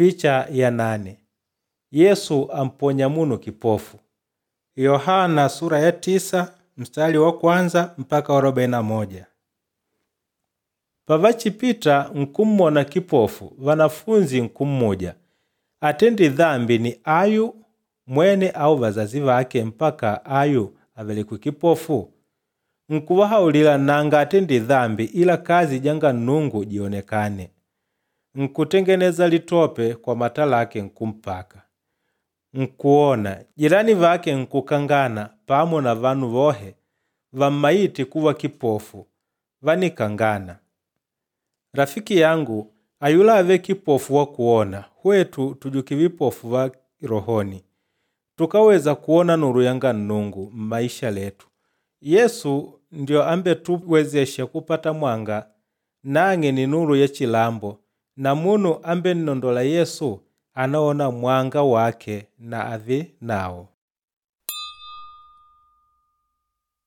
Picha ya nane. Yesu amponya munu kipofu. Yohana sura ya 9 mstari wa kwanza mpaka wa 41. Pavachipita nkummona kipofu vanafunzi nkummuja, atendi dhambi ni ayu mwene au vazazi vake mpaka ayu avelekwe kipofu? Nkuvahaulila nanga atendi dhambi ila kazi janga Nnungu jionekane. Nkutengeneza litope kwa mata lake nkumpaka. Nkuona jirani vake nkukangana pamo na vanu vohe vammaite kuva kipofu vanikangana. Rafiki yangu ayula ave kipofu wa kuona, hwetu tujuke vipofu va rohoni. Tukaweza kuona nuru yanga Nnungu mmaisha letu. Yesu ndio ambetuwezesha kupata mwanga nang'e ni nuru ya chilambo na munu ambennondola Yesu anaona mwanga wake na ave nawo.